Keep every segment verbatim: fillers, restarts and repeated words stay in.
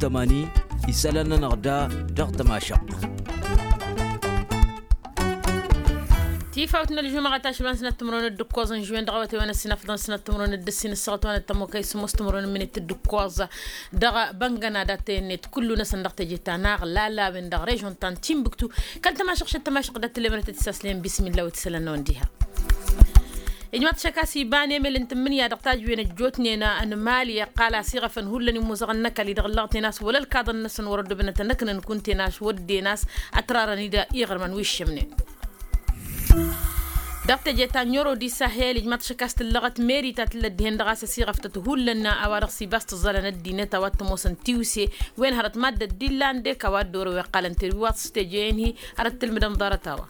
tămani isălan-nănăɣ da dăɣ-tămašăɣt. Tifawt n-ălžumăɣa tašban s-năttămrăwăn d-ǝkkoẓăn žwen dăɣ-awătay wa n-ăssinăfḍăn s-năttămrăwăn d-ǝssin ǝssăɣăt wa n-ăttămokăy s-ămoos tămrăwăn n-minit d-ǝkkoẓ dăɣ-băngăna dat-tăyănnet kullu-năsăn dăɣ-teje ta n-aɣlala a-wen dăɣ-režon ta n-tinbuktu. Kăl-tămašăɣt šăt tămašăɣt dat-tǝllemănăt d-tisaslen bismilla wa t-isălan-năwăn diha. Ijmaḍ-t šăkkas iba n-emel n-tǝmmǝnǝya dăɣ-tajǝwen ăjjootnen n-mali ăqqal asiɣăfăn hullan imuzăɣăn n-ăkall-i dăɣ-ǝllăɣten a-s wăla ălkaḍăn-năsăn wăr-ăddobănătăn ăknăn kunten a-s wădden a-s ătrarăn-dd iɣrǝmăn wi ǝššămnen. Dăɣ-teje ta n-oro di sahel ijmaḍ-t šăkkas tǝllăɣăt meri ta tǝllăt dihen-dăɣ a-s ăsiɣăftăt hullan a-wa dăɣ-s ibas tǝẓẓalăn ăddinăt a-wa t-ămoosăn tiwse wen hărăt maddăt d-illa n-dek a-wa dd-orăw iqqalăn terwi wa t-s teje-en-hi hărăt tǝlmǝdăn ḍarăt a-wa.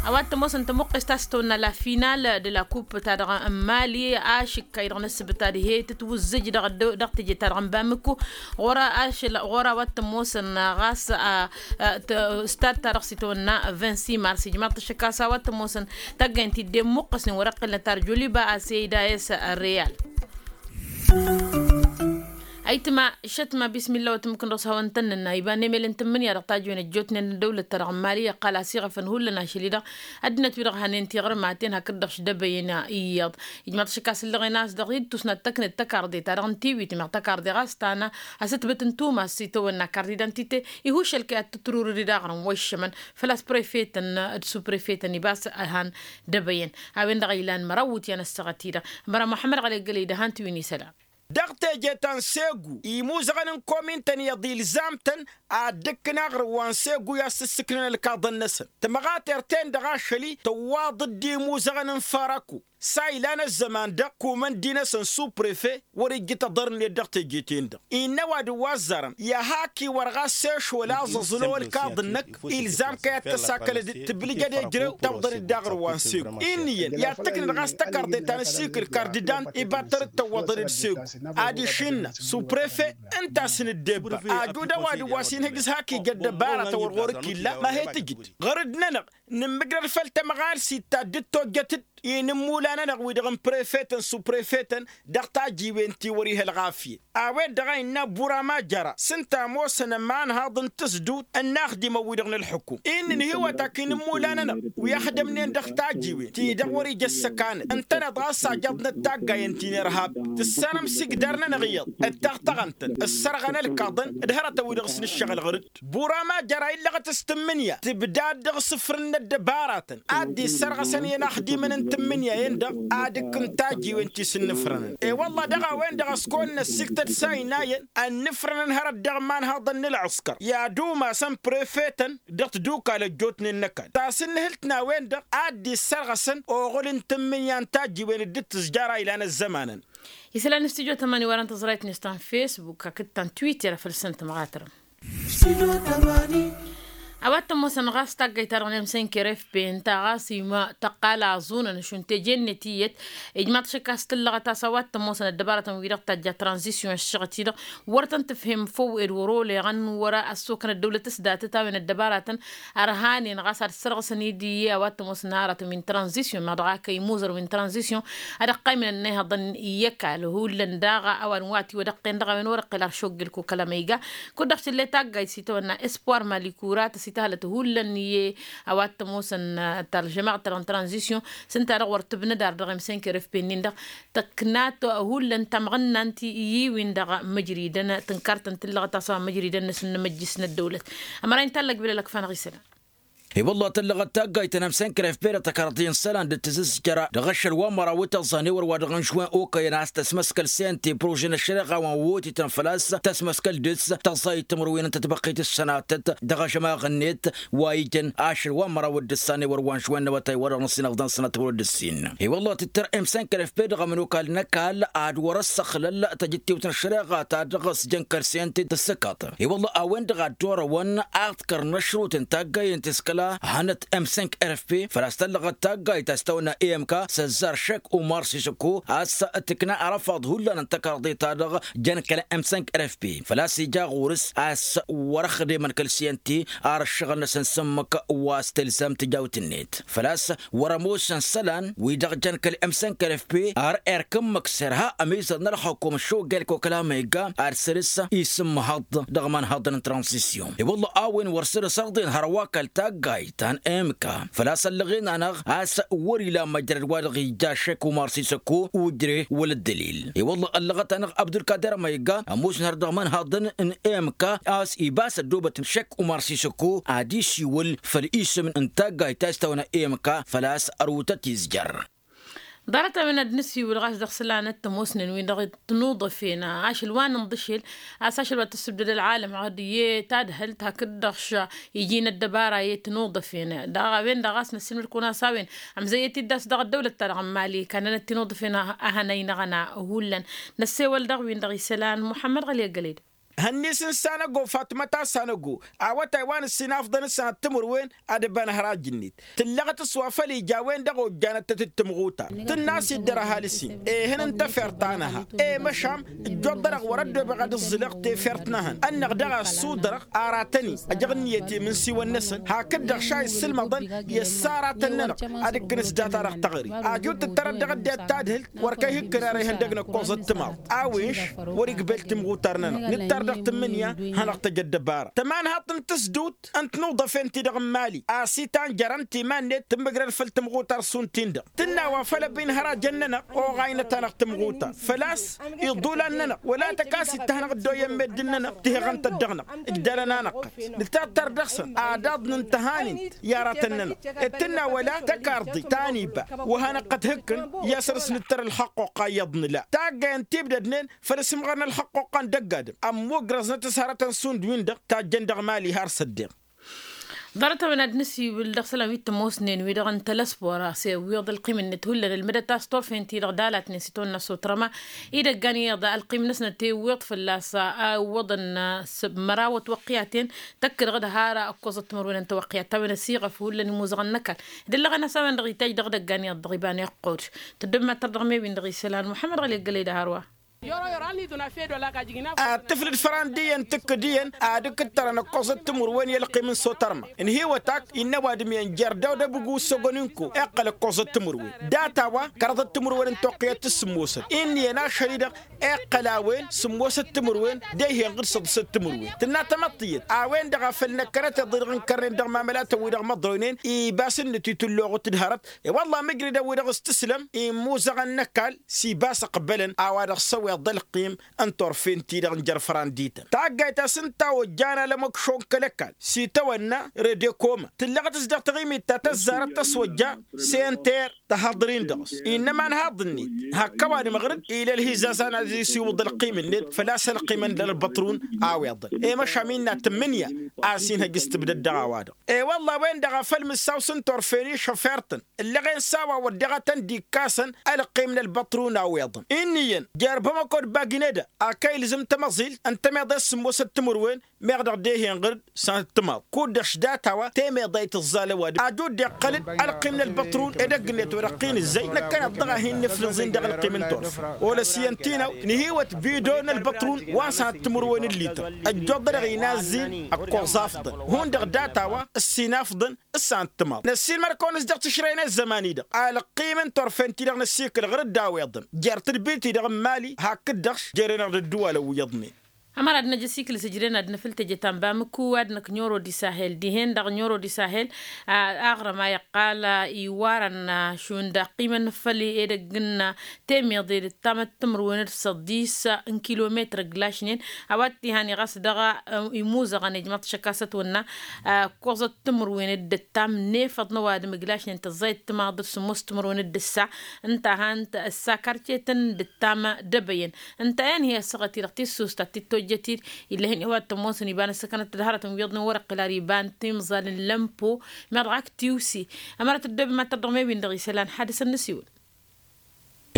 A-wa t-ămoosăn tămuqqest a-s tăwănna la final de la coupe ta dăɣ-n mali ašǝkkay dăɣ-năsbǝt ad-he-tǝtwǝzzǝj dăɣ-teje ta dăɣ-n bamǝkku ɣur-a ašăl ɣur-a wa t-ămoosăn ɣas stad ta dăɣ-s itawănna vingt-six mars ijmaḍ-t ăššăk a-s a-wa t-ămoosăn taggăyăn ti dd-e-muqqăsnen wăr-ăqqilnăt arjoliba a-s e-ida a-s real. Ayǝtma šătma bismilla wa tǝmmǝkǝn dăɣ-s hawăn-tăn-nǝnna iba n-emel n-tǝmmǝnǝya dăɣ-tajǝwen ăjjootnen n-ăddăwlăt ta dăɣ-mali ăqqal asiɣăfăn hullan ašăl-i-dăɣ ăddinăt-wi-dăɣ hanen tiɣrǝmaten hakd-dăɣ šdăbăyăn iyyăḍ. Ijmaḍ-t ašăk a-s ǝllăɣen a-s dăɣ-i d-tusnat tăknet tăkarḍe ta dăɣ-n tiwit meɣ tăkarḍe ɣas tană a-s ǝtbǝt n-tumas s-itawănna kart d-identite ihuš ălkăy ad-tǝtrurǝd d-aɣrǝm wa iššămăn făl-a-s prefetăn d-suprefetăn ibas ăhan dăbăyăn. A-wen-dăɣ a ilan măraw iwǝtyan ăssaɣăt-i-dăɣ. Ămăra muḥămmăd ɣălegălăy d-ăhan tiwǝn isălan. Dăɣ-teje ta n-segu imuzăɣăn n-komintăn iyyăḍ ilzam-tăn ad-dd-ǝkkǝn aɣrǝm wa n-segu i-ad-sǝssǝknăn ălkaḍăn-năsăn. Tămɣatert-en-dăɣ ašăl-i tăwwaḍ-dd imuzăɣăn n-fărăku s-a ilan ăzzăman-dăɣ kumăndi-năsăn suprefe wăr-ijjǝt aḍărnet dăɣ-teje-ten-dăɣ. Innă ăwadǝm wa ăzzarăn i-ad-hak-iwăr ɣas s-ešwăl aẓăẓlo ălkaḍăn-năk ilzam kăy-ad-tăsakălăd tǝblǝjăd ejrew tawḍăd-dd aɣrǝm wa n-segu. Inn'-iyyăn i-ad-tǝknǝd ɣas tăkarḍe ta n-ăssiikǝl kardǝdan ibattăr d-tăwwăḍăd d-segu. Adiš innă suprefe ǝnta a-s nǝddebba ajud ăwadǝm wa s-inhǝj s-hak ija ăddăbara ta wăr ɣur-ǝkk illa ma he-tǝjǝd ɣăr-dd-nănăɣ. Nǝmmǝjrăd făll-tămɣalsit ta dd-tojjăt-dd i-inǝmmulan-nănăɣ-wi-dăɣ n-prefetăn suprefetăn dăɣ-tajiwen ti wăr-ih ălɣafyăt. A-wen-dăɣ a innă burama jăra s-ǝnta ămoosăn ămanhaḍ n-tǝsdut n-inaxdimăn-wi-dăɣ n-ălḥukum. Inn' ǝnhǝywăt ak inǝmmulan-nănăɣ wi ăxdămnen dăɣ-tajiwen ti dăɣ-wăr-ija ăssăkanăt ǝntăneḍ ɣas ajăḍnăt taggayen ti n-irhab. Tǝssanăm s-igdar-nănăɣ iyyăḍ d-taɣtăɣăn-tăn ǝssărɣăn ălkaḍăn d-hărătăn-wi-dăɣ s-nǝššăɣǝl ɣǝr-dd. Burama jăra illăɣăt s-tǝmmǝnǝya tǝbdad dăɣ-isǝfrǝn n-ăddăbaratăn ad-dd-issărɣăsăn i-inaxdimăn n-tǝmmǝnǝya-en-dăɣ ad-ǝkkǝn tajiwen ti s-ǝnnǝfrănăn. E-wălla dăɣ-a-wen-dăɣ a-s kăwăn-năssiktăd s-a inayăn ănnǝfrănăn hărăt dăɣ-imanhaḍăn n-ălɣǝskăr i-ad-umasăn prefetăn dăɣ-tadukal ăjjootnen n-ăkall ta s-ǝnnǝhǝlt n-a-wen-dăɣ ad-dd-issărɣăsăn oɣǝl n-tǝmmǝnǝya n-tajiwen dd-tǝzjara ilan ăzzămanăn. Isălan n-studyo tămani wărăn tăẓrayt-net ta n-fesbuk hakd ta n-twitter a făl săn tămɣatărăm. A-wa t-ămoosăn ɣas taggayt-ta-dăɣ n-emsenker fp ǝnta ɣas ima tăqqal aẓunăn šund teje-net iyyăt. Ijmaḍ-t šăkk a-s tǝllăɣăt a-s a-wa t-ămoosăn ăddăbarătăn-wi-dăɣ tajja tranzisyon ăššăɣăt-i-dăɣ wăr tăn-tǝfhem făw ed wăr-oleɣăn wăr-ăssokăn ăddăwlăt s-datăt a-wen ăddăbarătăn ărhanen ɣas ad-sărɣǝsăn-dd iyyă a-wa t-ămoosăn aratăn wi n-tranzisyon meɣ dăɣ-akăy imuzăr wi n-tranzisyon. Ad-ăqqaymǝnăn inayhăḍăn i-ăkall hullan daɣ a-wa n-wa tiwădăqqen dăɣ-a-wen wăr-ăqqel ar šoggel kokăl amăyga. Kud-dăɣ tǝlle taggayt s-itawănna espoir malikura tăsităhălăt hullan i-a-wa t-ămoosăn ta ălžămaɣăt-ta-dăɣ n-tranzisyon s-ǝnta-dăɣ wăr tǝbnăd ar dăɣ-emsenker fp-nin-dăɣ tăknat hullan tamɣǝnna n-ti-i-win-dăɣ măjridăn tǝnkartăn tǝllăɣăt a-s a-wa măjridăn n-asǝnnǝmăjjǝs n-ăddăwlăt. Ămăra-in tallăg bilălăkfa-năɣ isălan. I-wălla tăllăɣăt taggayt ta n-emsenker fp dăɣ-tăkarḍi n-isălan dd-tǝzǝzjăra dăɣ-ašăl wa n-măraw tăẓẓa n-ewăr wa dăɣ-n žwen okăyăn a-s tăsmăskăl sente prože n-ăššăreɣa wa n-wotităn făl-a-s tăsmăskăl dăɣ-s tăẓẓayăt timǝrwen n-tătbăqqit s-sănatăt dăɣ-ažămaɣ-net wa ijăn ašăl wa n-măraw d-ǝssan ewăr wa n-žwen n-awătay wa dăɣ-năsinăfḍăn sănatăt wăr dd-ǝssin. I-wălla tǝttăr emsenker fp dăɣ-ămănokal n-ăkall ad-wăr-ăssăxlăl tăjǝttiwt n-ăššăreɣa ta dăɣ-s jăn kăr-sente tǝssǝkaḍ. I-wălla a-wen-dăɣ a dd-orăwăn ad-kăr n-ăšrut n-taggayen ti s-kăl hanăt m cinq rfp făl-a-s tăllăɣăt taggayt a-s tăwănna i-m k s-ăzzar šek umar sisăkko a-s tǝkna arăfaḍ hullan n-tăkarḍe-ta-dăɣ. Jăn kăl-m cinq rfp făl-a-s ija ɣur-s a-s wăr-ăxdemăn kăl-siyănti ar ǝššăɣǝl-năsăn s-ǝmmǝk wa s-tǝlzam tǝjawt-net făl-a-s wăr-ămoosăn isălan wi-dăɣ jăn kăl-m cinq rfp ar erk ǝmmǝk s-irha ămizăr n-ălxukum šugel kokăla ma igga ad-săr-s isǝmmăhăḍ dăɣ-imanhăḍăn n-transisyon. I-wălla a-wen wăr săr-s ărḍen hărwa kăl-taggayt ta n-m k făl-a-s ăllăɣen-anăɣ a-s wăr-ila măjrăd wa dăɣ-ija šek umar sisăkko ujre wăla ăddălil. I-wălla ăllăɣăt-anăɣ abdulkader ma igga ămoosăn har dăɣ-imanhăḍăn n-m k a-s ibas ăddoobăt šek umar sisăkko ad-isiwǝl făll-isǝm n-taggayt ta s-tawănna i-m k făl-a-s ărwǝtăt izjăr. Ḍarăt-a-wen ad-nǝsiwǝl ɣas dăɣ-isălan d-tămoosnen-win-dăɣ tănuḍăfen ašăl wa n-inḍǝšel a-s ašăl wa tăssǝbdăd ălɣalăm ɣad iyyă tadhǝlt hakd-dăɣ š-iji n-ăddăbara i-tănuḍăfen. Daɣ a-wen-dăɣ ɣas năssiilmăd-kăwăn a-s a-wen ămzăyyăt-dd a-s dăɣ-ăddăwlăt-ta-dăɣ n-mali kannănăt tinǝḍǝfen a hănăynăɣăn a hullan. Năssewăl dăɣ-win-dăɣ isălan muḥămmăd ɣăli ăggăled. Hănni-s n-sanăgo fatmăt a-s sanăgo awătay wa n-ǝssin afḍăn s-sanăt timǝrwen ad-ăbanăhăr ajǝnnet tǝllăɣăt s-wa făl ija a-wen-dăɣ ojjanăt-tăt d-tǝmɣutar tǝnn'-as iddăr ăhalǝs-in ehăn n-tefert ta nǝha. I-măšan ǝjjoḍ-dăɣ wăr-ăddobeɣ ad-ǝẓẓǝlăɣ tefert n-ehăn ănn-dăɣ a-s sudărăɣ aratăn-i ăjăɣ ǝnniyăt i-imǝnsiwăn-năsăn hakd-dăɣ šay ǝssǝlmăḍăn i-ăssaratăn-nănăɣ ad-ǝkkǝn s-data-dăɣ taɣri. Ajut tǝttărăt dăɣ-ăddinăt tadhǝlt wăr kăy-hǝkkǝn ara ihăndăg n-ăkkoẓăt timaḍt a-wen š-wăr-igbel timɣutar-nănăɣ nǝttar dăɣ-tǝmmǝnǝya. Hanăɣ-tăj ăddăbara tămanhaḍt n-tǝsdut n-tnuḍăfen-ti-dăɣ n-mali a-s itan jărăn timan-net tǝmmǝgrăd făll-timɣutar šund-tin-dăɣ tǝnna wa făl ăbin hărajăn-nănăɣ oɣaynăt-anăɣ timɣutar făl-a-s iḍulan-nănăɣ wăla tăkasit ta hanăɣ-dd-oyyăn meddǝn-nănăɣ tihăɣăn-tăt dăɣ-năɣ. Ǝjdălăn-anăɣ-tăn nǝttar dăɣ-săn adaḍ n-tăhanint i-aratăn-nănăɣ ed tǝnna wăla tăkarḍit ta n-iba wa hanăɣ-tăt-hǝkkǝn i-ad-săr-s nǝttăr ălxăqqoqqa iyyăḍ nǝla taggay ǝnta ibdădnen făll-asǝmɣăr n-ălxăqqoqqa n-dăgg-adǝm ămmugrăẓnăt s-hărătăn šund-win-dăɣ tajjăn dăɣ-mali har s-ăddeɣ. Ḍarăt-a-wen ad-nǝsiwǝl dăɣ-isălan wi t-ămoosnen wi-dăɣ n-telăsbora s-iwwiḍ ălqim-net hullan ǝlmǝdăt a-s turfen-ti-dăɣ dalatnen s-itawănna s-otrăma idăggan iyyăḍ ălqim-năsnăt iwwiḍ fălla-s a iwwăḍăn s-măraw ătwăqqiyaten tăkkălăɣ-dd har ăkkoẓăt timărwen n-tawăqqiyat ta-wen ăsiɣăf hullan imuzăɣăn n-ăkall. Dd-ăllăɣăn a-s a-wen-dăɣ itaj dăɣ-idăggan iyyăḍ dăɣ-iba n-iqqud tăddobem ad-tărdăɣ mebin dăɣ-isălan muḥămmăd ɣăli ăggălăy d-ahărwa. Ad-tǝflǝd făran d-iyyăn tǝkkǝd iyyăn ad-ǝkkǝttărăn ăkkoẓăt timǝrwen i-ălqim n-sotărma ǝnhǝywăt ak innă ăwadǝm iyyăn jer-dăw d-abǝgu s-ogon ǝnko iqqăl ăkkoẓăt timǝrwen data-wa kărăḍăt timǝrwen n-toqqǝyăt s-sǝmmosăn. Inn'-iyyăn ašăl-i-dăɣ iqqăl a-wen sǝmmosăt timǝrwen d-ehenɣ d-săḍsăt timǝrwen tǝnna tamăḍt iyyăt a-wen-dăɣ a făl năkkănăt iḍǝdăɣ n-kărnen dăɣ-mamălatăn-wi-dăɣ măḍroynen ibas ǝnnǝt itǝlloɣăt d-hărăt. I-wălla mǝjridăn-wi-dăɣ s-tǝslăm imuzăɣăn n-ăkall s-ibas ăqbălăn a-wa dăɣ-săweḍ ălqim n-turfen-ti-dăɣ n-jer-fărandităn taggayt a-s ǝnta ojjan alămăkšo n-kăl-ăkall s-itawănna redekoma tǝllăɣăt-s dăɣ-taɣimit ta tăzzarăt tăswăjja. Senter tăhaḍăr-in dăɣ-s innă imanhaḍ-net hak ăwadǝm ɣǝr-dd ila ălhizaz a năzisiwǝḍ ălqim-net făl-a-s ălqim n-ălbăṭrun a-wi iḍǝl i-măšan innă tǝmmǝnǝya a-s inhăj s-tǝbdăd dăɣ-a-wa-dăɣ. I-wălla a-wen-dăɣ a făl mǝssaw s-ǝnta orfen išăfertăn ǝllăɣen s-a-wa wădden ad-tăn-dd-ikkasăn ălqim n-ălbăṭrun a-wi iḍǝn. Inn'-iyyăn jer-bamăko d-bagineda a kăy-ilzǝm tamăẓilt ǝntămeḍe s-sǝmmosăt timǝrwen meɣ dăɣ-dehenɣăr-dd sănăt timaḍ kud-dăɣ š-data-wa temeḍe a itǝẓẓal ăwadǝm ajud dd-iqqăl-dd ălqim n-ălbăṭrun edăgg-net wa dăɣ-t-in ǝzzăy năkkăneḍ-dăɣ a hin-nǝflǝẓ-in dăɣ-ălqim n-turfen. Olăs iyyăn tinaw nǝhiwăt bido n-ălbăṭrun wa n-sănăt timǝrwen n-lităr ăjjoḍ-dăɣ inazzin ăkkoẓ afḍăn hundăɣ data-wa ǝssin afḍăn s-sănăt timaḍ. Năssiilmăr-kăwăn-s dăɣ-tǝšrăyăn i-ăzzăman-i-dăɣ alăqqim n-turfen-ti-dăɣ năssiikǝl ɣur-dd a-wa iḍǝn jer-tǝdbit-i-dăɣ n-mali hakd-dăɣ s-jere-năɣ d-ădduwalăn wi iyyăḍnen. Ămăra d-năj ăsikǝl s-ǝjren ad-nǝfǝl teje ta n-bamǝku ad-năkk n-oro d-isahel dihen-dăɣ n-oro d-isahel. Aɣrǝm a iqqal iwarăn šund ăqqimăn făll-edăgg n-temeḍe d-ǝttamăt timǝrwen d-săḍis n-kilometăr ǝglašnen a-wa t-ihăn i-ɣas dăɣ-imuzăɣăn ijmăḍ šăkasăt wănna ǝkkoẓăt timǝrwen d-ǝttam n-efăḍ n-ăwadǝm ǝglašnen tăẓẓayăt timaḍ d-sǝmmos timǝrwen d-ǝssa ǝnta a han-t ǝssa karcetăn d-ǝttam d-ebăyăn. Ǝnta a inhǝy ăssaɣăt-i-dăɣ tissust ad-t-tojjăt-dd ill'-e-hin i-wa t-ămoosăn iba n-ăssăkănăt d-hărătăn wi iyyăḍnen wăr-iqqǝl ar iba n-timẓal n-lămpo. Meɣ dăɣ-ak tiwse ămăra tăddobem ad-tărdăɣ mebin dăɣ-isălan hadǝs ad-nǝsiwǝl.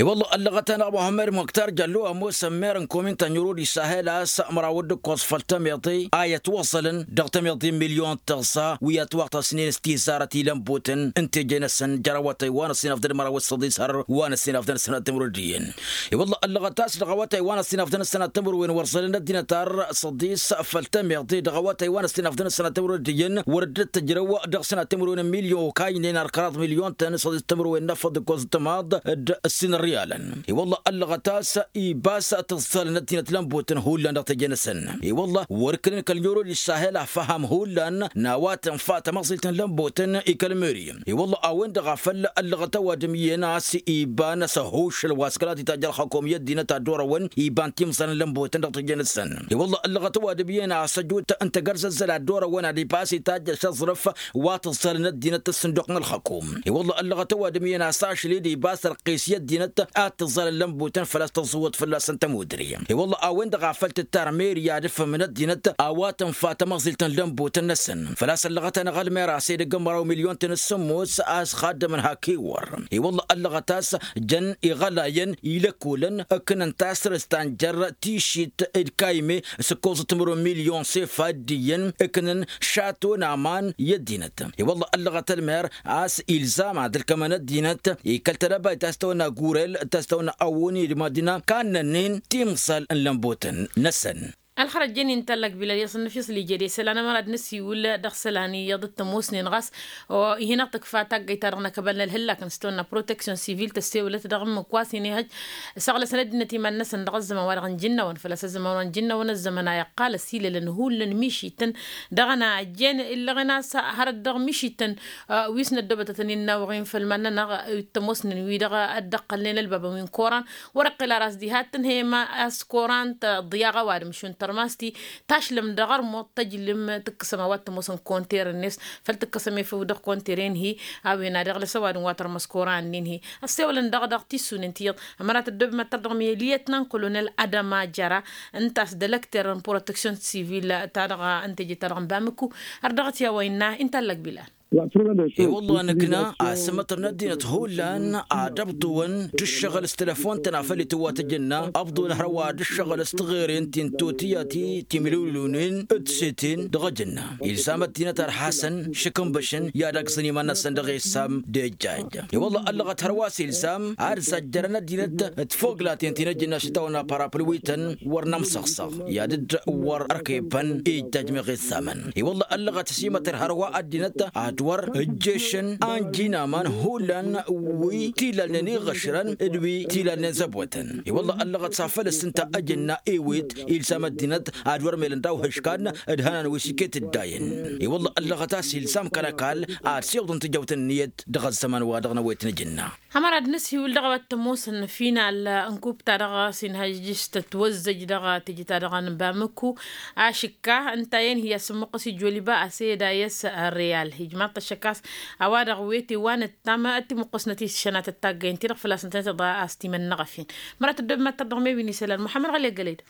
I-wălla ăllăɣăt-anăɣ muhămmăd muktar jăllu ămoosăn mer n-komin ta n-irud isahel a-s măraw d-ǝkkoẓ făll-tămiḍe a i-ătwăẓălăn dăɣ-tămiḍe n-milyon tăẓẓa wi ătwăɣtăsnen s-tizarăt i-lănbutăn n-teje-năsăn jer-awătay wa n-ăṣṣinăfdăn măraw s-săḍis har wa n-ăṣṣinăfdăn ăssanăt timǝrwen d-iyyăn. I-wălla ăllăɣăt a-s dăɣ-awătay wa n-ăṣṣinăfdăn ăssanăt timǝrwen wăr ẓălăn ăddinăt ar săḍis făll-tămiḍe dăɣ-awătay wa n-ăṣṣinăfdăn ăssanăt timǝrwen d-iyyăn wăr dd-tăjrăw dăɣ-sănat timǝrwen n-milyon okaynen ar kăraḍ milyon-tăn săḍis timǝrwen n-afăḍ d-ǝkkoẓ d-tămaḍ d-ǝssin ărriyalăn. I-wălla ăllăɣăt a-s ibas tǝẓẓalăn ăddinăt lănbutăn hullan dăɣ-teje-năsăn. I-wălla wăr-kălăn kăl-nyorod isahel afăham hullan n-a-wa tǝnfa tămăẓilt n-lănbutăn i-kăl-meri. I-wălla a-wen-dăɣ a făl ăllăɣăt ăwadǝm iyyăn a-s iba n-asăhuššăl wa s-kăla titajj ălxăkum i-ăddinăt ad-dd-orăwăn iba n-timẓal n-lănbutăn dăɣ-teje-năsăn. I-wălla ăllăɣăt ăwadǝm iyyăn a-s ăjut n-tagărzăzzăl ad-dd-orăwăn ad-ibas itajj ašăẓrǝf wa tǝẓẓalăn ăddinăt ăssǝnduq n-ălxăkum. I-wălla ăllăɣăt ăwadǝm iyyăn a-s ašli d-ibas ărqqis i-ăddinăt ad-tǝẓẓalăn lănbutăn făl-a-s tăẓẓǝwwăḍ fălla-săn tămudre. I-wălla a-wen-dăɣ a făl tǝttar meri ad-ǝfhǝmăn ăddinăt a-wa tǝnfa tamăẓilt n-lănbutăn-năsăn. Făl-a-s ăllăɣăt-anăɣ ălmer a-s edăgg n-măraw milyon-tăn s-sǝmmos a-s xaddămăn hak iwwăr. I-wălla ăllăɣăt a-s jăn iɣălayăn ilăkkolăn ǝknăn tasrǝst ta n-jer-tišit d-kayme s-ǝkkoẓăt timǝrwen milyon s-efa d-iyyăn ǝknăn šato n-aman i-ăddinăt. I-wălla ăllăɣăt ălmer a-s ilzam ad-ǝlkămăn ăddinăt ikăl tedăbayt a-s tăwănna gurel ta s-tăwănna awoni d-madina kannănnen timẓal n-lănbutăn-năsăn. Ălxărăt jăn-in tallăk bilal i-asăn n-afyăṣ l-ijed i-isălan ămăra d-năsiwǝl dăɣ-isălan iyyăḍ d-tămoosnen ɣas. Ihi-năɣ tǝkfa taggayt-ta-dăɣ n-akăbal n-ălhǝllak n-s tăwănna proteksyon sivil tăssewlăt dăɣ-ǝmmǝk wa s-inihăj săɣlăsăn ăddinăt iman-năsăn dăɣ-ăzzăman-wa-dăɣ n-ijǝnnawăn făl-a-s ăzzăman wa n-ijǝnnawăn ăzzăman a iqqal ăsilălăn hullan mišităn. Dăɣ-ănajjen illăɣen a-s hărăt dăɣ-mišităn wi s-năddobătătăn innawăɣ-in făll-iman-nănăɣ. Wi t-ămoosnen wi-dăɣ ăddăqqălnen ălbabăn wi n-koran wăr-iqqǝl ara a-s diha t-tǝnhăyăm a-s koran tăḍyaɣ ăwadǝm šund tărmasti tašlăm dăɣ-ărmuḍ tăjlăm tǝkkăsăm a-wa t-ămoosăn konter-net. Făl-tǝkkăsăm efăw dăɣ-konter-en-hi a-wen ad-iɣlăs ăwadǝm wa tărmăs koran-nin-hi. Ăssewălăn dăɣ-dăɣ tissunen tiyyăḍ ămăra tăddobem ad-tărdăɣ mi-ăliyăt n-ănkolonel adăma jăra ǝnta a-s d-ălăkter n-proteksyon sivil-ta-dăɣ n-teje-ta-dăɣ n-bamǝkku. Ar dăɣ-t i-a-wa innă intallăk bilal. I-wălla nǝkna asǝmmătăr n-ăddinăt hullan ad-ăbḍǝwăn d-ǝššăɣǝl s-telăfon-tăn afăl itǝwwa tăjǝnna ăbḍǝwăn hărwa d-ǝššăɣǝl s-tiɣeren ti n-totǝya ti timǝlǝwlǝwnen d-seten dăɣ-ejǝnna. Ilzam ăddinăt ărhasăn šǝkǝnbăšăn i-ad-agzăn iman-năsăn dăɣ-e ǝssam d-ejjajj. I-wălla ăllăɣăt hărwa s-ilzam ad-zajjărăn ăddinăt d-tfoglaten ti n-ejǝnna s-itawănna parapǝlwităn wăr nămsăɣsăɣ i-ad-dd-wăr ărkebbăn ijjajj meɣ issamăn. I-wălla ăllăɣăt ăsimătăr hărwa ăddinăt ad-wăr ǝjješăn anji n-aman hullan wi t-ilalnen iɣăšrăn d-wi t-ilalnen zăbotăn. I-wălla ăllăɣăt s-afăl ǝssǝnta ăjǝnna ewet ilsam ăddinăt ad-wăr melăn daw-hǝškan d-hănan wi s-iket dd-ayǝn. I-wălla ăllăɣăt a-s ilsam kăl-ăkall ad-siwǝḍăn tijăwt n-ǝnniyăt dăɣ-ăzzăman-wa-dăɣ n-ăwet n-ejǝnna. Hămăra d-nǝsiwǝl dăɣ-a-wa t-ămoosăn final n-kup-ta-dăɣ s-inhăjjǝš tătwăzzăj dăɣ-teje-ta-dăɣ n-bamǝkku. Ašǝkka ǝnta a-wen hi-asǝmmuqqăs ijoliba a-s ed a i-s reyal ijmaḍ-t ăššăk a-s a-wa-dăɣ wete wa nǝttam. Ăttimuqqăsnăt iššănatăt taggăyăn-ti-dăɣ făl-a-s ǝntănăt a-s timǝnnăɣăf-in. Măra tăddobem ad-tărdăɣ mewi n-isălan muḥămmăd ɣăli ăggălăy-dăɣ.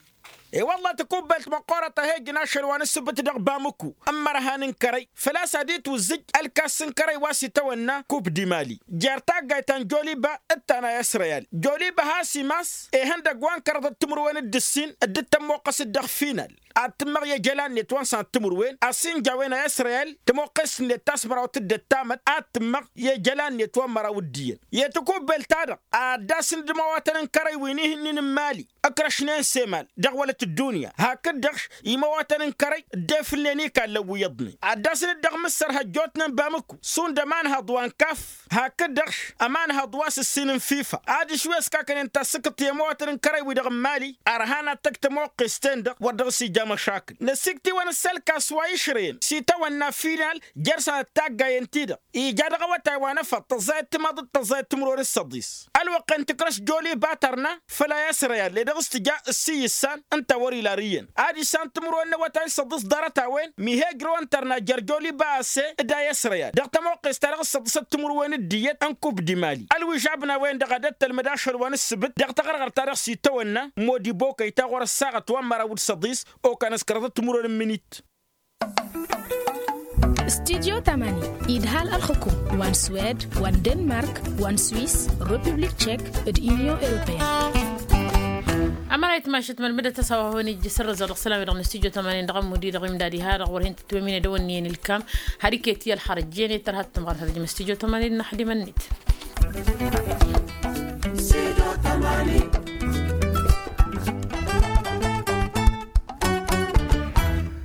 I-wălla takubelt măqqoorăt a he-ijnašăl wa n-ǝssǝbǝt dăɣ-bamǝkku ămmărha n-inkărăy făl-a-s ad-itwǝzzǝj ălkas n-inkărăy wa s-itawănna kup dimali jer-taggayt ta n-joliba d-ta n-a i-s reyal. Joliba has-imas ihăndăgg wa n-kăraḍăt timǝrwen d-ǝssin dd-tămmoqqăs-dd dăɣ-final ad-tǝmmăɣ i-ejăla-net wa n-sănăt timǝrwen ăsinja a-wen a i-s reyal. Tămoqqest-net ta s-mărawăt d-ăttamăt ad-tǝmmăɣ i-ejăla-net wa n-măraw d-iyyăn i-takubelt-ta-dăɣ ad-dd-asǝn d-imawatăn n-kărăy wi n-ihǝnnin n-imali ǝkrăšnen s-emal dăɣ-wălăt ăddunya hakd-dăɣ imawatăn n-kărăy dd-efǝlnen ikallăn wi iyyăḍnen ad-dd-asǝn-dd dăɣ-mǝssărha ăjjootnen bamǝkku šund ămanhăḍ wa n-kaf hakd-dăɣ ămanhăḍ wa s-ǝssin n-fifa ad-išwǝy ăskakăn-en tasǝkǝḍt i-imawatăn n-kărăy-wi-dăɣ n-imali. Ărhan ad-tăgg tămoqqest-en-dăɣ wăr dăɣ-s ija măšakǝl năsikt'-iwăn s-ălkas wa išrăyăn s-itawănna final jer-sănăt taggayen-ti-dăɣ ija dăɣ-awătay wa n-efăḍ tăẓẓayăt timaḍ d-tăẓẓayăt timǝrwen s-săḍis. Ălwăqq-en tǝkrăš joliba tărna făl-a i-s reyal ed dăɣ-s tǝja ǝssi issan ǝnta wăr-ila ăriyyăn ad-išan timǝrwen n-awătay n-săḍis ḍarăt-a-wen mi he-ǝjrăwăn tărna jer-joliba a-s e d-a i-s reyal dăɣ-tămoqqest-ta-dăɣ s-săḍisăt timǝrwen d-iyyăt n-kup dimali. Ălwižabna-wen-dăɣ ad-ăttălmăd ašăl wa n-ǝssǝbǝt dăɣ-taɣărɣărt-ta-dăɣ s-itawănna modibokăy ta ɣur-ăssaɣăt wa n-măraw d-săḍis okanăskărăḍăt timǝrwen n-minit. Studyo tamanin idhal ălxukum wa n-swed wa n-denmark wa n-swis, republik tšek, d-inyon europeyăn. Amăra itmašăt mălmădăt a-s a-wa hawăn-ijjǝs ărrăzăɣ dăɣ-isălan-wi-dăɣ n-studyo tamanin dăɣ-ămmud-i-dăɣ imdad iha dăɣ-wăr hin-tǝtwămine d-ăwănni-en ǝlkam. Har iket i-ălxărăjjen i-tărha d-tǝmɣăr har ǝjmăs tijo tămănin n-axdimăn-net.